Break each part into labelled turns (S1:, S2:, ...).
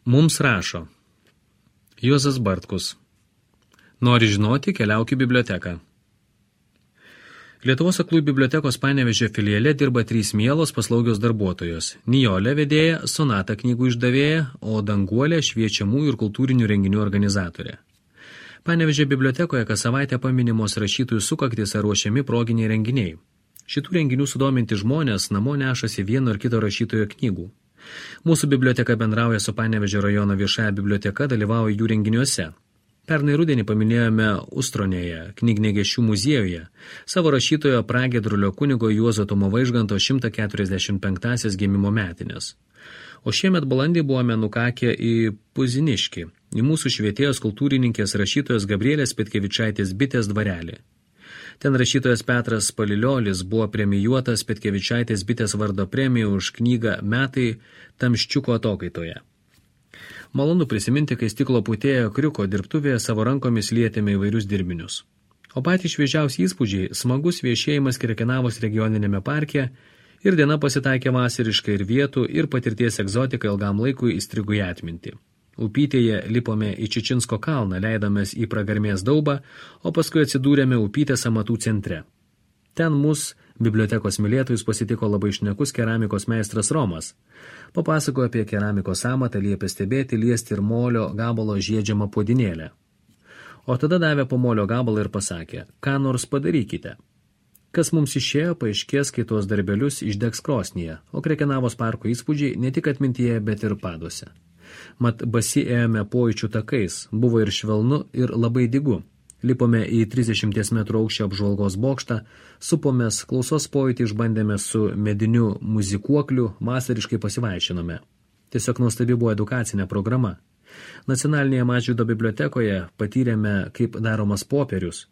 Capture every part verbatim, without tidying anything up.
S1: Mums rašo Juozas Bartkus. Nori žinoti, keliauk į biblioteką. Lietuvos aklųjų bibliotekos Panevėžio filiale dirba trys mielos paslaugios darbuotojos. Nijolė vedėja, Sonata knygų išdavėja, o Danguolė šviečiamų ir kultūrinių renginių organizatorė. Panevėžio bibliotekoje kas savaitę paminimos rašytojų sukaktis ar ruošiami proginiai renginiai. Šitų renginių sudominti žmonės namo nešasi vieno ar kito rašytojo knygų. Mūsų biblioteka bendrauja su Panevėžio rajono viešąja biblioteka, dalyvauja jų renginiuose. Pernai rudenį paminėjome Ustronėje, Knygnegešių muziejuje, savo rašytojo Pragiedrulio kunigo Juozo Tomo Vaižganto šimtas keturiasdešimt penktąsias gimimo metinės. O šiemet balandį buvome nukakę į Puziniškį, į mūsų švietėjos kultūrininkės rašytojos Gabrielės Petkevičaitės bitės dvarelį. Ten rašytojas Petras Paliliolis buvo premijuotas Petkevičaitės bitės vardo premiją už knygą Metai Tamščiuko atokaitoje. Malonu prisiminti, kai stiklo putėjo kriuko dirbtuvėje savo rankomis lietėme įvairius dirbinius. O patys šviežiausi įspūdžiai – smagus viešėjimas Krekenavos regioninėme parke ir diena pasitaikė vasariškai ir vietų ir patirties egzotika ilgam laikui įstrigo į atmintį. Upytėje lipome į Čičinsko kalną, leidomės į Pragarmės daubą, o paskui atsidūrėme Upytės amatų centre. Ten mus, bibliotekos mylėtojus, pasitiko labai šnekus keramikos meistras Romas. Papasakojo apie keramikos amatą, liepė stebėti, liesti ir molio gabalo žiedžiamą puodinėlę. O tada davė po molio gabalą ir pasakė, ką nors padarykite. Kas mums išėjo, paaiškės, kai tuos darbelius išdegs krosnyje, o Krekenavos parko įspūdžiai ne tik atmintyje, bet ir paduose. Mat basi ėjome pojūčių takais, buvo ir švelnu, ir labai dygu. Lipome į trisdešimties metrų aukščio apžvalgos bokštą, supomės, klausos pojūtį išbandėme su mediniu muzikuokliu, vasariškai pasivaišinome. Tiesiog nuostabi buvo edukacinė programa. Nacionalinėje Mažvydo bibliotekoje patyrėme, kaip daromas popierius,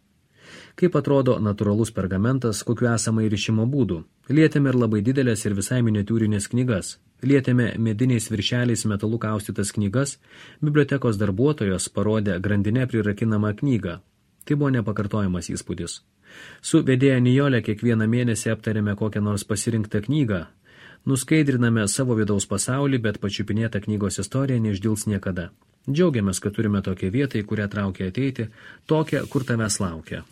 S1: kaip atrodo natūralus pergamentas, kokiu esama įrišimo būdų. Lietėme ir labai didelės ir visai miniatiūrinės knygas. Lietėme mediniais viršeliais metalų kaustytas knygas, bibliotekos darbuotojos parodė grandinę prirakinamą knygą. Tai buvo nepakartojamas įspūdis. Su vedėja Nijolė kiekvieną mėnesį aptarėme kokią nors pasirinktą knygą. Nuskaidriname savo vidaus pasaulį, bet pačiupinėta knygos istorija neišdils niekada. Džiaugiamės, kad turime tokią vietą, į kurią traukia ateiti, tokią, kur tavęs laukia.